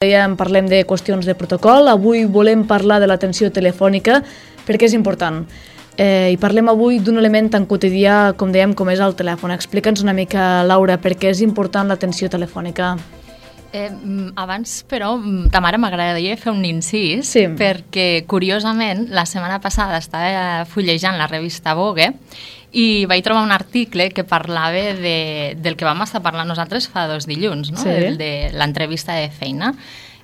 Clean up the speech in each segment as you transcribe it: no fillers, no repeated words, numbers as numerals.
dèiem, parlem de qüestions de protocol. Avui volem parlar de l'atenció telefònica perquè és important. I parlem avui d'un element tan quotidià, com dèiem, com és el telèfon. Explica'ns una mica, Laura, per què és important l'atenció telefònica. Abans, però, ta mare m'agradaria fer un incís, perquè, curiosament, la setmana passada estava fullejant la revista Vogue i vaig trobar un article que parlava del que vam estar parlant nosaltres fa 2 dilluns, no? El de l'entrevista de feina,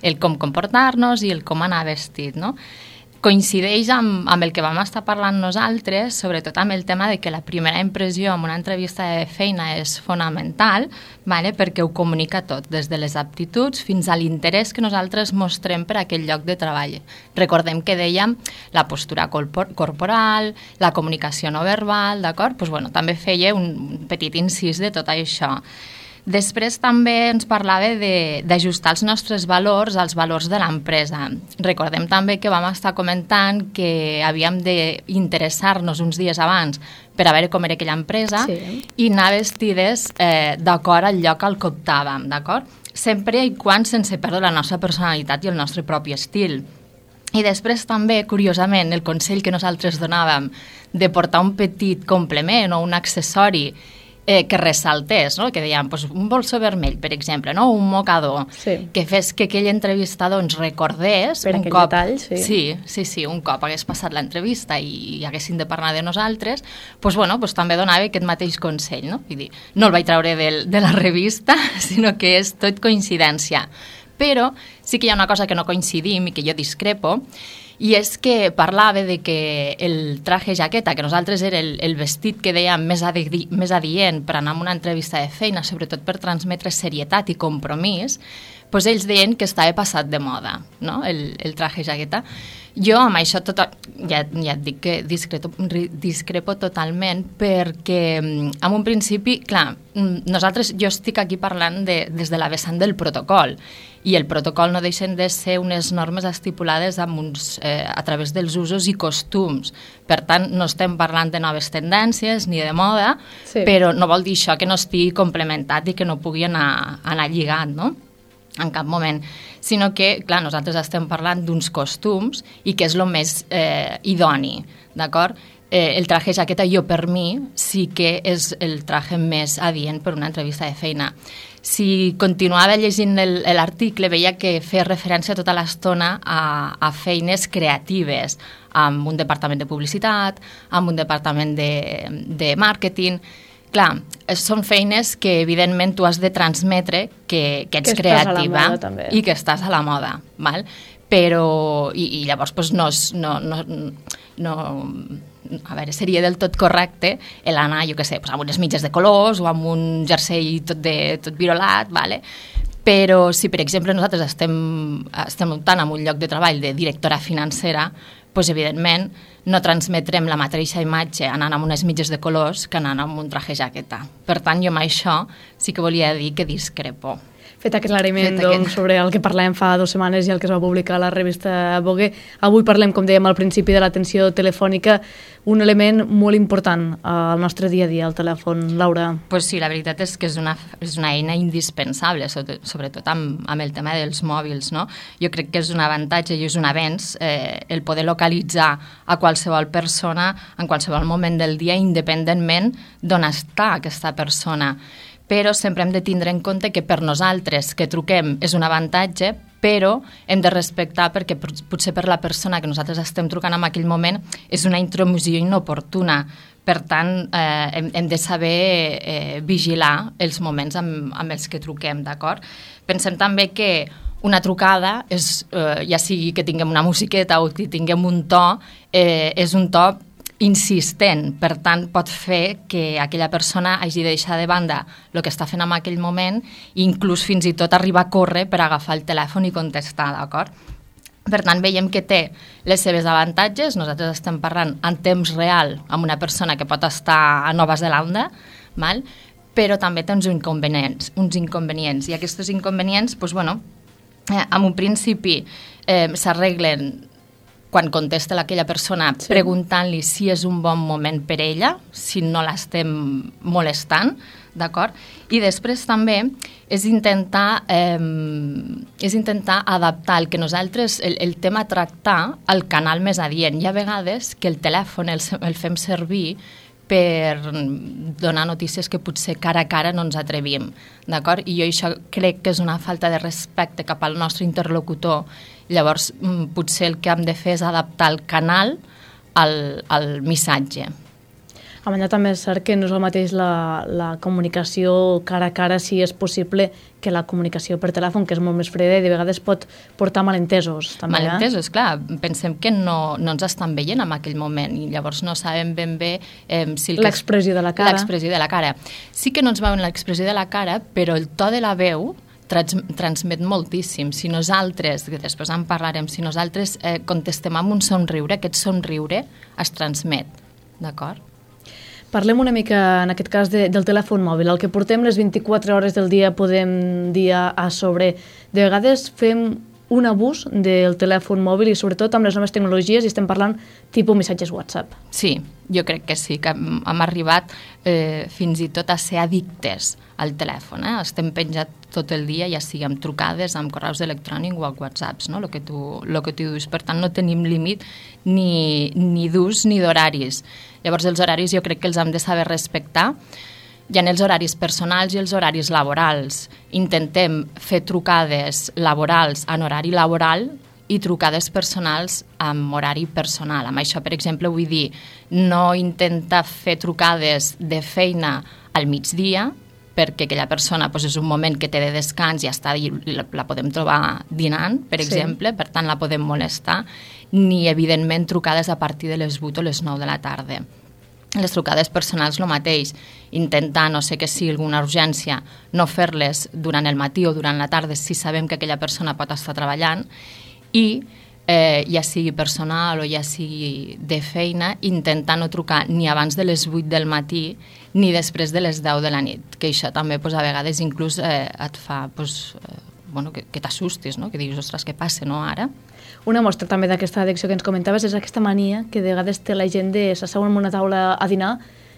el com comportar-nos i el com anar vestit, no? Coincideix amb el que vam estar parlant nosaltres, sobretot amb el tema de que la primera impressió en una entrevista de feina és fonamental, perquè ho comunica tot, des de les aptituds fins a l'interès que nosaltres mostrem per a aquell lloc de treball. Recordem que dèiem la postura corporal, la comunicació no verbal, d'acord? També feia un petit incís de tot això. Després també ens parlava d'ajustar els nostres valors als valors de l'empresa. Recordem també que vam estar comentant que havíem d'interessar-nos uns dies abans per a veure com era aquella empresa i anar vestides d'acord al lloc al que optàvem, d'acord? Sempre i quan sense perdre la nostra personalitat i el nostre propi estil. I després també, curiosament, el consell que nosaltres donàvem de portar un petit complement o un accessori que ressaltés, no? Que dèiem, un bolso vermell, per exemple, no? Un mocador, que fes que aquell entrevistador ens recordés per aquell detall, Sí, un cop hagués passat l'entrevista i haguessin de parlar de nosaltres, també donava aquest mateix consell, no? Vull dir, no el vaig treure de la revista, sinó que és tot coincidència. Però sí que hi ha una cosa que no coincidim i que jo discrepo, i és que parlava de que el traje jaqueta, que nosaltres era el vestit que dèiem més adient per anar a una entrevista de feina, sobretot per transmetre serietat i compromís, ells deien que estava passat de moda, no? El traje jaqueta. Jo amb això ja et dic que discrepo totalment, perquè en un principi, clar, jo estic aquí parlant des de la vessant del protocol, i el protocol no deixen de ser unes normes estipulades a través dels usos i costums. Per tant, no estem parlant de noves tendències ni de moda, però no vol dir això que no estigui complementat i que no pugui anar lligat, no? En cap moment, sinó que, clar, nosaltres estem parlant d'uns costums i que és el més idoni, d'acord? El traje jaqueta, per mi, sí que és el traje més adient per una entrevista de feina. Si continuava llegint l'article, veia que feia referència tota l'estona a feines creatives, amb un departament de publicitat, amb un departament de màrqueting. Clar, són feines que evidentment tu has de transmetre que ets creativa i que estàs a la moda, val? Però, i llavors a veure, seria del tot correcte l'anar, jo què sé, amb unes mitges de colors o amb un jersei tot virolat, vale? Però si, per exemple, nosaltres estem optant en un lloc de treball de directora financera, evidentment no transmetrem la mateixa imatge anant amb unes mitges de colors que anant amb un traje jaqueta. Per tant, jo amb això sí que volia dir que discrepo. Fet aquest aclariment sobre el que parlàvem fa 2 setmanes i el que es va publicar a la revista Vogue. Avui parlem, com dèiem al principi, de l'atenció telefònica, un element molt important al nostre dia a dia, el telèfon. Laura? Sí, la veritat és que és una eina indispensable, sobretot amb el tema dels mòbils, no? Jo crec que és un avantatge i és un avenç el poder localitzar a qualsevol persona en qualsevol moment del dia, independentment d'on està aquesta persona. Però sempre hem de tindre en compte que per nosaltres que truquem és un avantatge, però hem de respectar perquè potser per la persona que nosaltres estem trucant en aquell moment és una intromissió inoportuna. Per tant, hem de saber vigilar els moments amb els que truquem, d'acord? Pensem també que una trucada, ja sigui que tinguem una musiqueta o que tinguem un to, és un to insistent, per tant pot fer que aquella persona hagi de deixar de banda el que està fent en aquell moment i inclús fins i tot arribar a córrer per agafar el telèfon i contestar, d'acord? Per tant, veiem que té les seves avantatges. Nosaltres estem parlant en temps real amb una persona que pot estar a Nova Zelanda, però també té uns inconvenients. I aquests inconvenients, en un principi s'arreglen quan contesta aquella persona preguntant-li si és un bon moment per ella, si no l'estem molestant, d'acord? I després també és intentar adaptar el que nosaltres, el tema a tractar al canal més adient. Hi ha vegades que el telèfon el fem servir per donar notícies que potser cara a cara no ens atrevim, d'acord? I jo això crec que és una falta de respecte cap al nostre interlocutor. Llavors, potser el que hem de fer és adaptar el canal al missatge. A banda també és cert que no és el mateix la comunicació cara a cara, si és possible, que la comunicació per telèfon, que és molt més freda i de vegades pot portar malentesos. També, malentesos, clar. Pensem que no ens estan veient en aquell moment i llavors no sabem ben bé si... L'expressió de la cara. L'expressió de la cara. Sí que no ens veuen l'expressió de la cara, però el to de la veu transmet moltíssim. Si nosaltres, que després en parlarem, si nosaltres contestem amb un somriure, aquest somriure es transmet, d'acord? Parlem una mica, en aquest cas, del telèfon mòbil. El que portem les 24 hores del dia podem dir a sobre. De vegades fem un abús del telèfon mòbil i sobretot amb les noves tecnologies i estem parlant tipus missatges WhatsApp. Sí, jo crec que sí, que hem arribat fins i tot a ser addictes al telèfon. Estem penjats tot el dia, ja sigui amb trucades, amb correus electrònics o amb whatsapps, no? Lo que tu dius. Per tant, no tenim límit ni d'ús ni d'horaris. Llavors, els horaris jo crec que els hem de saber respectar. Hi ha els horaris personals i els horaris laborals. Intentem fer trucades laborals en horari laboral i trucades personals amb horari personal. Amb això, per exemple, vull dir, no intentar fer trucades de feina al migdia, perquè aquella persona és un moment que té de descans i la podem trobar dinant, per exemple, per tant la podem molestar, ni evidentment trucades a partir de les 8 o les 9 de la tarda. Les trucades personals el mateix, intentar, no sé que sigui alguna urgència, no fer-les durant el matí o durant la tarda si sabem que aquella persona pot estar treballant i ja sigui personal o ja sigui de feina, intentar no trucar ni abans de les 8 del matí ni després de les 10 de la nit, que això també a vegades inclús et fa que t'assustis, no? Que diguis, ostres, què passa, no, ara? Una mostra també d'aquesta addicció que ens comentaves és aquesta mania que de vegades té la gent de s'asseuen en una taula a dinar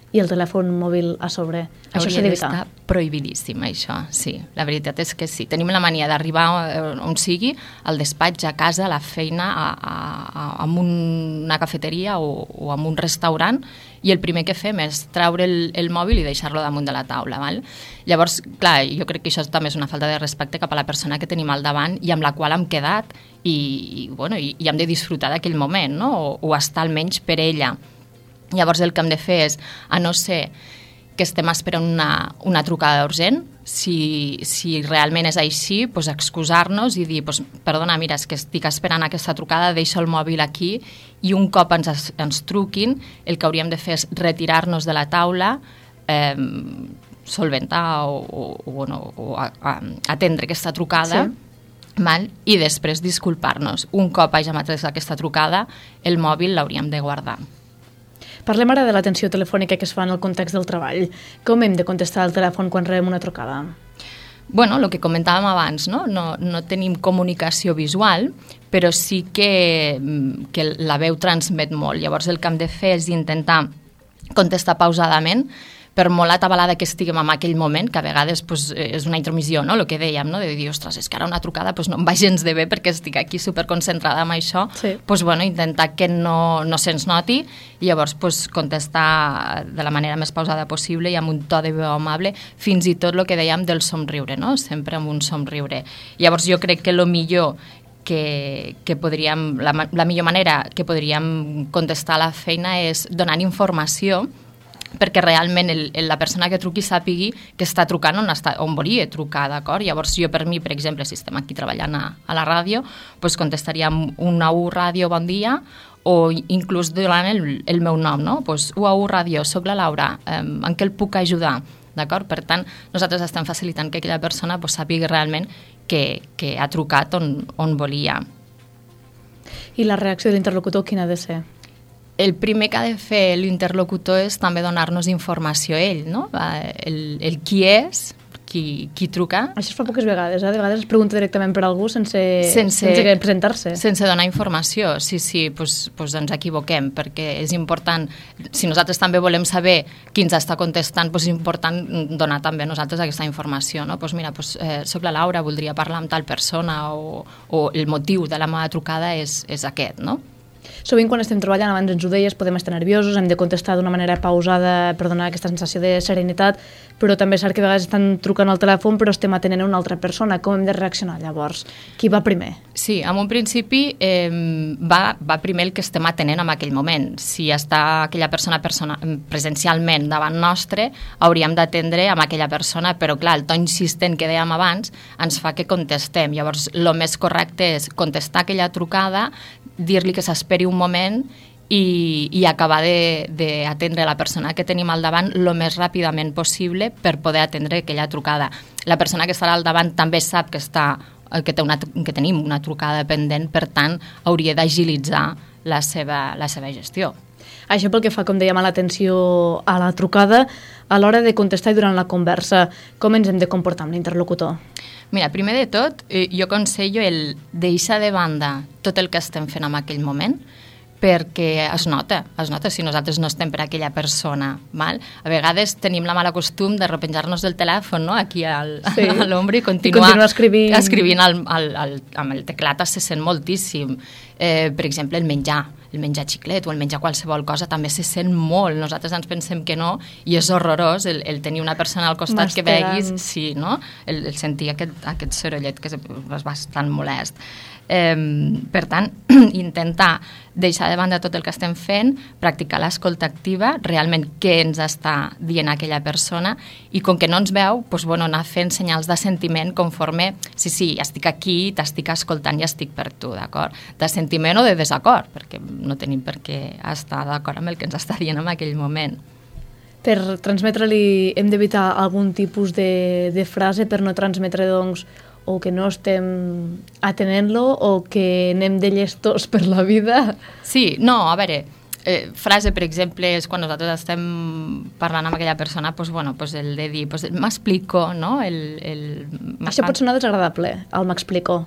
i el telèfon mòbil a sobre. Això s'ha d'evitar. Hauria d'estar prohibidíssim, això, sí. La veritat és que sí. Tenim la mania d'arribar on sigui, al despatx, a casa, a la feina, a una cafeteria o a un restaurant, i el primer que fem és treure el mòbil i deixar-lo damunt de la taula. Val? Llavors, clar, jo crec que això també és una falta de respecte cap a la persona que tenim al davant i amb la qual hem quedat i hem de disfrutar d'aquell moment, no? O estar almenys per ella. Llavors el que hem de fer és, a no ser que estem esperant una trucada urgent, si realment és així, excusar-nos i dir, perdona, mira, és que estic esperant aquesta trucada, deixo el mòbil aquí, i un cop ens truquin, el que hauríem de fer és retirar-nos de la taula, solventar o atendre aquesta trucada, i després disculpar-nos. Un cop hàgim atès aquesta trucada, el mòbil l'hauríem de guardar. Parlem ara de l'atenció telefònica que es fa en el context del treball. Com hem de contestar al telèfon quan rebem una trucada? Bueno, el que comentàvem abans, no tenim comunicació visual, però sí que la veu transmet molt. Llavors el que hem de fer és intentar contestar pausadament, per molt atabalada que estiguem en aquell moment, que a vegades és una intromissió, no? El que dèiem, no? De dir, ostres, és que ara una trucada no em va gens de bé perquè estic aquí superconcentrada en això, intentar que no se'ns noti i llavors contestar de la manera més pausada possible i amb un to de veu amable, fins i tot el que dèiem del somriure, no? Sempre amb un somriure. Llavors jo crec que el millor que podríem, la millor manera que podríem contestar a la feina és donant informació perquè realment la persona que truqui sàpigui que està trucant on volia trucar, d'acord? Llavors jo per mi, per exemple, si estem aquí treballant a la ràdio, contestaríem un AU Ràdio, bon dia, o inclús donant el meu nom, no? UAU Ràdio, soc la Laura, en què el puc ajudar? D'acord? Per tant, nosaltres estem facilitant que aquella persona sàpigui realment que ha trucat on volia. I la reacció de l'interlocutor quina ha de ser? El primer que ha de fer l'interlocutor és també donar-nos informació a ell, no? El qui és, qui truca. Això es fa poques vegades, de vegades es pregunta directament per algú sense presentar-se. Sense donar informació, sí, doncs ens equivoquem, perquè és important, si nosaltres també volem saber qui ens està contestant, doncs és important donar també a nosaltres aquesta informació, no? Doncs mira, soc la Laura, voldria parlar amb tal persona o el motiu de la meva trucada és aquest, no? Sovint quan estem treballant, abans ens ho deies, podem estar nerviosos, hem de contestar d'una manera pausada per donar aquesta sensació de serenitat, però també és cert que a vegades estan trucant al telèfon però estem atenent a una altra persona. Com hem de reaccionar llavors? Qui va primer? Sí, en un principi va primer el que estem atenent en aquell moment. Si està aquella persona presencialment davant nostre, hauríem d'atendre amb aquella persona, però clar, el to insistent que dèiem abans ens fa que contestem. Llavors, el més correcte és contestar aquella trucada, dir-li que s'esperi un moment i acabar d'atendre la persona que tenim al davant el més ràpidament possible per poder atendre aquella trucada. La persona que estarà al davant també sap que tenim una trucada pendent, per tant, hauria d'agilitzar la seva gestió. Això pel que fa, com dèiem, a l'atenció a la trucada, a l'hora de contestar i durant la conversa, com ens hem de comportar amb l'interlocutor? Mira, primer de tot, jo aconsello el deixar de banda tot el que estem fent en aquell moment, perquè es nota si nosaltres no estem per aquella persona. Val? A vegades tenim la mala costum de repenjar-nos del telèfon, no? Aquí a l'ombra i continuar escrivint amb el teclat se sent moltíssim. Per exemple, el menjar xiclet o el menjar qualsevol cosa també se sent molt. Nosaltres ens pensem que no i és horrorós el tenir una persona al costat que veguis, sí, no? El sentir aquest sorollet que és bastant molest. Per tant, intentar deixar de banda tot el que estem fent, practicar l'escolta activa, realment què ens està dient aquella persona, i com que no ens veu, doncs, anar fent senyals de sentiment conforme, sí, estic aquí, t'estic escoltant i estic per tu, d'acord? De sentiment o de desacord, perquè no tenim per què estar d'acord amb el que ens està dient en aquell moment. Per transmetre-li hem d'evitar algun tipus de frase per no transmetre, doncs, o que no estem atenent-lo o que anem de llestos per la vida. Sí, no, a veure, frase, per exemple, és quan nosaltres estem parlant amb aquella persona, doncs, el de dir, m'explico, no? Això pot sonar desagradable, el m'explico.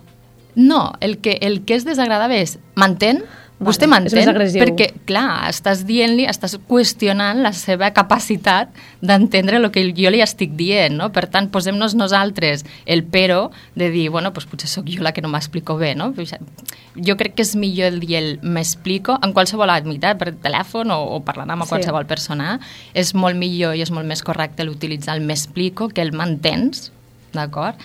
No, el que és desagradable és m'entén? Vostè m'entén? Perquè, clar, estàs dient-li, estàs qüestionant la seva capacitat d'entendre el que jo li estic dient, no? Per tant, posem-nos nosaltres el però de dir, doncs potser sóc jo la que no m'explico bé, no? Jo crec que és millor el dir el m'explico en qualsevol àmbit, per telèfon o parlant amb qualsevol persona. És molt millor i és molt més correcte l'utilitzar el m'explico que el m'entens, d'acord?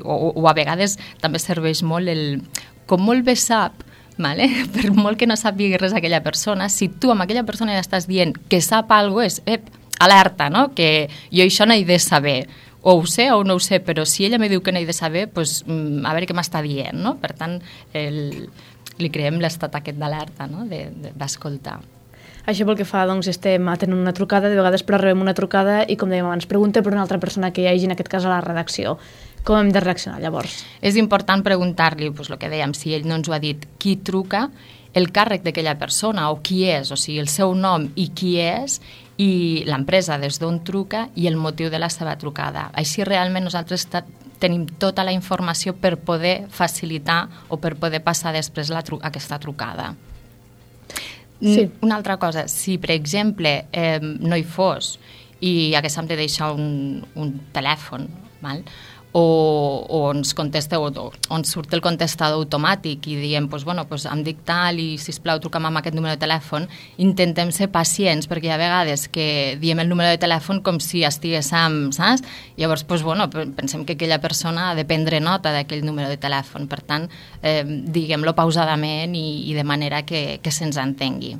O a vegades també serveix molt el com molt bé sap, vale? Per molt que no sàpiga res aquella persona, si tu amb aquella persona ja estàs dient que sap alguna cosa, és alerta, no? Que jo això no he de saber, o ho sé o no ho sé, però si ella me diu que no he de saber, doncs a veure què m'està dient, no? Per tant, li creem l'estat aquest d'alerta, no? D'escoltar. Això pel que fa, doncs, estem atenent una trucada, de vegades però rebem una trucada i, com dèiem abans, pregunta per una altra persona que hi hagi, en aquest cas a la redacció. Com hem de reaccionar, llavors? És important preguntar-li, el que dèiem, si ell no ens ho ha dit, qui truca, el càrrec d'aquella persona o qui és, o sigui, el seu nom i qui és, i l'empresa des d'on truca i el motiu de la seva trucada. Així realment nosaltres tenim tota la informació per poder facilitar o per poder passar després aquesta trucada. Sí. Una altra cosa, si per exemple no hi fos i haguéssim de deixar un telèfon, val? O ens contesta o ens surt el contestador automàtic i diem, em dic tal i sisplau truca'm amb aquest número de telèfon, intentem ser pacients perquè hi ha vegades que diem el número de telèfon com si estiguéssim, saps? Llavors, pensem que aquella persona ha de prendre nota d'aquell número de telèfon, per tant, diguem-lo pausadament i de manera que se'ns entengui.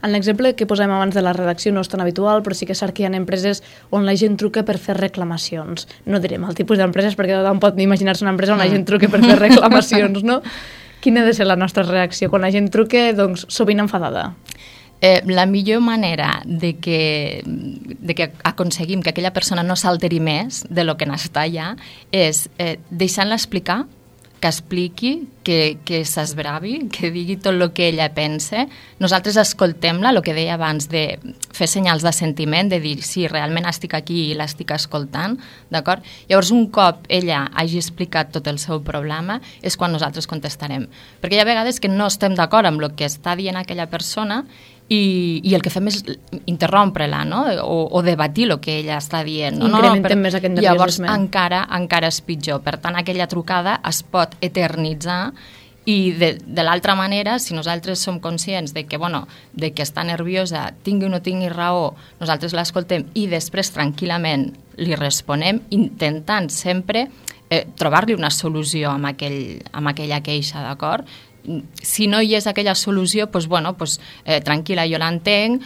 En l'exemple que posem abans de la redacció no és tan habitual, però sí que és cert que hi ha empreses on la gent truca per fer reclamacions. No direm el tipus d'empreses perquè tothom pot imaginar-se una empresa on la gent truca per fer reclamacions, no? Quina ha de ser la nostra reacció quan la gent truca, doncs, sovint enfadada? La millor manera de que aconseguim que aquella persona no s'alteri més de lo que n'està allà és deixant-la explicar que expliqui, que s'esbravi, que digui tot el que ella pensa. Nosaltres escoltem-la, el que deia abans, de fer senyals de sentiment, de dir, sí, realment estic aquí i l'estic escoltant, d'acord? Llavors, un cop ella hagi explicat tot el seu problema, és quan nosaltres contestarem. Perquè hi ha vegades que no estem d'acord amb el que està dient aquella persona i el que fem és interrompre-la, no? O debatir el que ella està dient. Incrementem més aquest nerviosisme. Llavors encara és pitjor. Per tant, aquella trucada es pot eternitzar i de l'altra manera, si nosaltres som conscients de que, de que està nerviosa, tingui o no tingui raó, nosaltres l'escoltem i després tranquil·lament li responem, intentant sempre trobar-li una solució amb aquella queixa, d'acord? Si no hi és aquella solució, tranquil·la, jo l'entenc,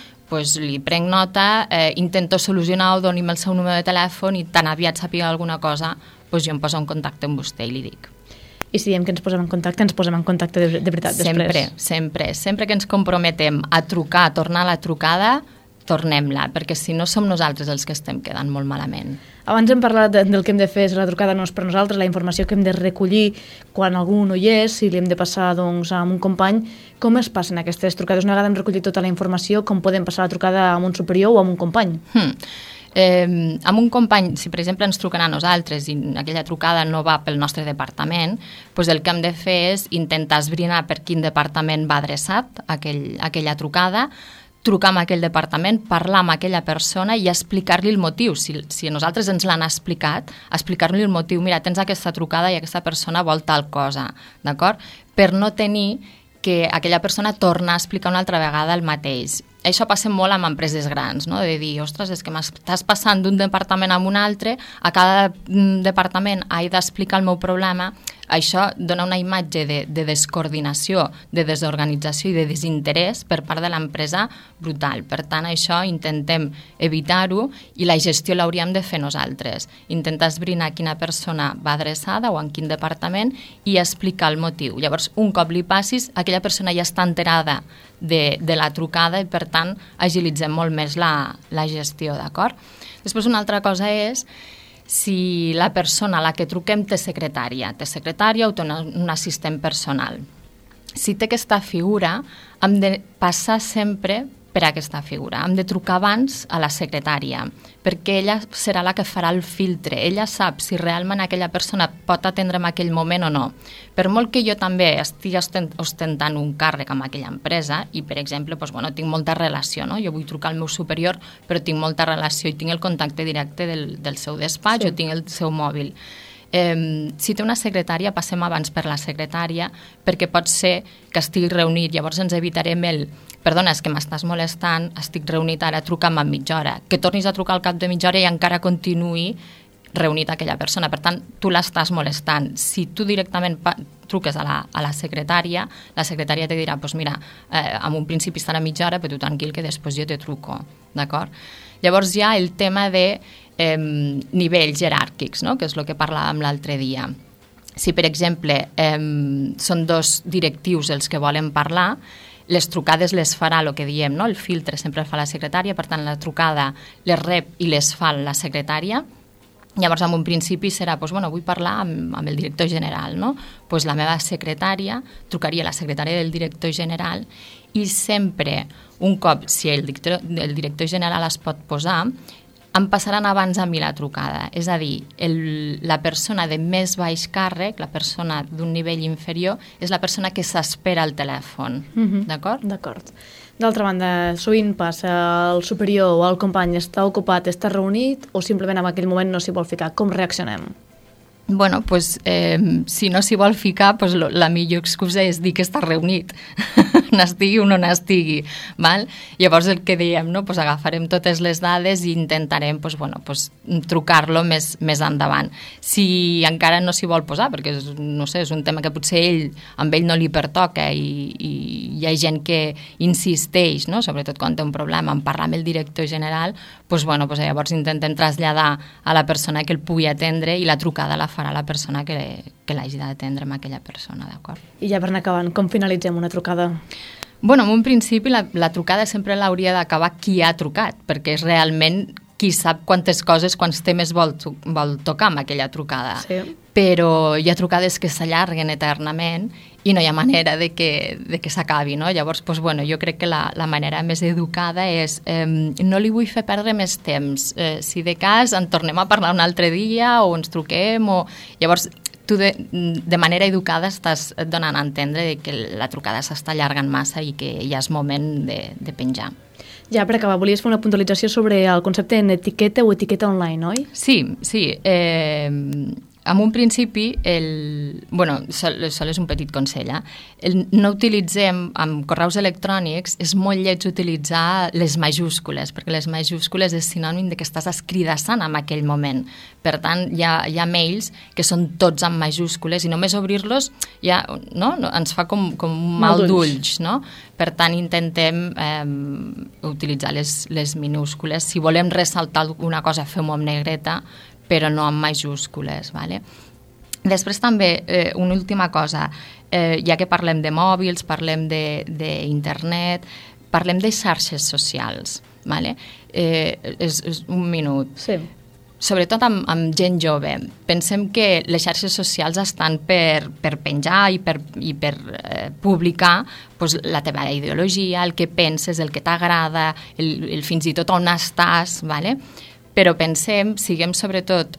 li prenc nota, intento solucionar-ho, doni'm el seu número de telèfon i tan aviat sàpiga alguna cosa, jo em poso en contacte amb vostè i li dic. I si diem que ens posem en contacte de veritat després? Sempre que ens comprometem a trucar, a tornar a la trucada, tornem-la, perquè si no som nosaltres els que estem quedant molt malament. Abans hem parlat del que hem de fer, la trucada no és per nosaltres, la informació que hem de recollir quan algú no hi és, si li hem de passar a un company. Com es passen aquestes trucades? Una vegada hem recollit tota la informació, com podem passar la trucada a un superior o a un company? Amb un company, si per exemple ens truquen a nosaltres i aquella trucada no va pel nostre departament, el que hem de fer és intentar esbrinar per quin departament va adreçat aquella trucada, trucar amb aquell departament, parlar amb aquella persona i explicar-li el motiu. Si a nosaltres ens l'han explicat, explicar-li el motiu. Mira, tens aquesta trucada i aquesta persona vol tal cosa, d'acord? Per no tenir que aquella persona torna a explicar una altra vegada el mateix. Això passa molt amb empreses grans, no? De dir, ostres, és que m'estàs passant d'un departament a un altre, a cada departament he d'explicar el meu problema. Això dona una imatge de descoordinació, de desorganització i de desinterès per part de l'empresa brutal. Per tant, això intentem evitar-ho i la gestió l'hauríem de fer nosaltres. Intentar esbrinar quina persona va adreçada o en quin departament i explicar el motiu. Llavors, un cop li passis, aquella persona ja està enterada de la trucada i, per tant, agilitzem molt més la gestió, d'acord? Després, una altra cosa és si la persona a la que truquem té secretària o té un assistent personal. Si té aquesta figura, hem de passar sempre per aquesta figura. Hem de trucar abans a la secretària, perquè ella serà la que farà el filtre. Ella sap si realment aquella persona pot atendre en aquell moment o no. Per molt que jo també estigui ostentant un càrrec amb aquella empresa i, per exemple, tinc molta relació, no? Jo vull trucar al meu superior, però tinc molta relació i tinc el contacte directe del seu despatx o tinc el seu mòbil. Si té una secretària, passem abans per la secretària perquè pot ser que estigui reunit, llavors ens evitarem perdona, és que m'estàs molestant, estic reunit ara, truca'm en mitja hora, que tornis a trucar al cap de mitja hora i encara continuï reunit aquella persona. Per tant, tu l'estàs molestant. Si tu directament truques a la secretària te dirà, mira, en un principi estarà mitja hora, però tu tranquil que després jo te truco, d'acord? Llavors hi ha el tema de nivells jeràrquics, no? Que és el que parlàvem l'altre dia. Si, per exemple, són dos directius els que volen parlar, les trucades les farà el que diem, no? El filtre sempre el fa la secretària, per tant, la trucada les rep i les fa la secretària. Llavors, en un principi serà, vull parlar amb el director general, no? La meva secretària trucaria a la secretària del director general i sempre, un cop, si el director general es pot posar, em passaran abans a mi la trucada. És a dir, la persona de més baix càrrec, la persona d'un nivell inferior, és la persona que s'espera al telèfon. D'acord? D'acord. D'altra banda, sovint passa el superior o el company està ocupat, està reunit o simplement en aquell moment no s'hi vol ficar. Com reaccionem? Si no s'hi vol ficar, la millor excusa és dir que està reunit, n'estigui o no n'estigui. Llavors el que diem, agafarem totes les dades i intentarem trucar-lo més endavant. Si encara no s'hi vol posar, perquè és un tema que potser amb ell no li pertoca i hi ha gent que insisteix, sobretot quan té un problema, en parlar amb el director general, llavors intentem traslladar a la persona que el pugui atendre i la trucada la farà la persona que l'hagi d'atendre amb aquella persona, d'acord? I ja per anar acabant, com finalitzem una trucada? En un principi la trucada sempre l'hauria d'acabar qui ha trucat, perquè és realment qui sap quantes coses, quants temes vol tocar amb aquella trucada. Sí. Però hi ha trucades que s'allarguen eternament i no hi ha manera de que s'acabi, no? Llavors, doncs, bueno, jo crec que la manera més educada és no li vull fer perdre més temps. Si de cas en tornem a parlar un altre dia o ens truquem o... Llavors, tu de manera educada estàs donant a entendre que la trucada s'està allargant massa i que ja és moment de penjar. Ja, per acabar, volies fer una puntualització sobre el concepte en etiqueta o etiqueta online, oi? Sí. En un principi, sol és un petit consell, no utilitzem, amb correus electrònics, és molt lleig utilitzar les majúscules, perquè les majúscules és sinònim de que estàs escridassant en aquell moment. Per tant, hi ha mails que són tots en majúscules i només obrir-los ja, no? Ens fa com un mal d'ulls, no? Per tant, intentem utilitzar les minúscules. Si volem ressaltar alguna cosa, fem-ho amb negreta, però no amb majúscules. Vale? Després també, una última cosa, ja que parlem de mòbils, parlem d'internet, parlem de xarxes socials. Vale? És un minut. Sí. Sobretot amb gent jove. Pensem que les xarxes socials estan per penjar i per publicar la teva ideologia, el que penses, el que t'agrada, fins i tot on estàs, vale? Però pensem, siguem sobretot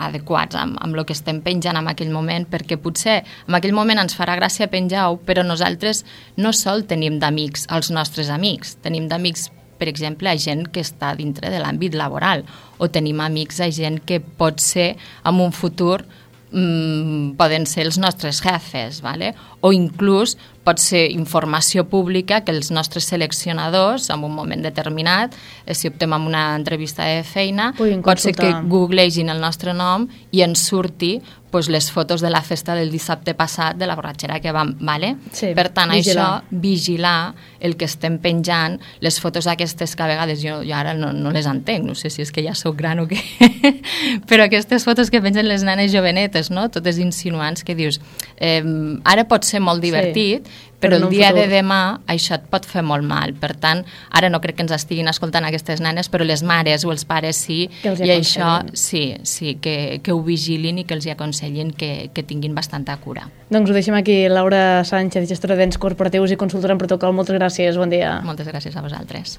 adequats amb el que estem penjant en aquell moment, perquè potser en aquell moment ens farà gràcia penjar-ho, però nosaltres no sol tenim d'amics els nostres amics, tenim d'amics, per exemple, a gent que està dintre de l'àmbit laboral, o tenim amics a gent que pot ser en un futur poden ser els nostres jefes, ¿vale? O inclús pot ser informació pública que els nostres seleccionadors, en un moment determinat, si optem en una entrevista de feina, pot ser que googlegin el nostre nom i ens surti les fotos de la festa del dissabte passat, de la borratxera que vam, ¿vale? Sí, per tant, vigilar el que estem penjant, les fotos aquestes que a vegades jo ara no les entenc, no sé si és que ja soc gran o què, però aquestes fotos que pengen les nenes jovenetes, no? Totes insinuants que dius, ara pot ser molt divertit, però el dia de demà això et pot fer molt mal. Per tant, ara no crec que ens estiguin escoltant aquestes nenes, però les mares o els pares sí, i això sí, que ho vigilin i que els aconsellin que tinguin bastanta cura. Doncs ho deixem aquí. Laura Sánchez, gestora d'ens corporatius i consultora en protocol. Moltes gràcies, bon dia. Moltes gràcies a vosaltres.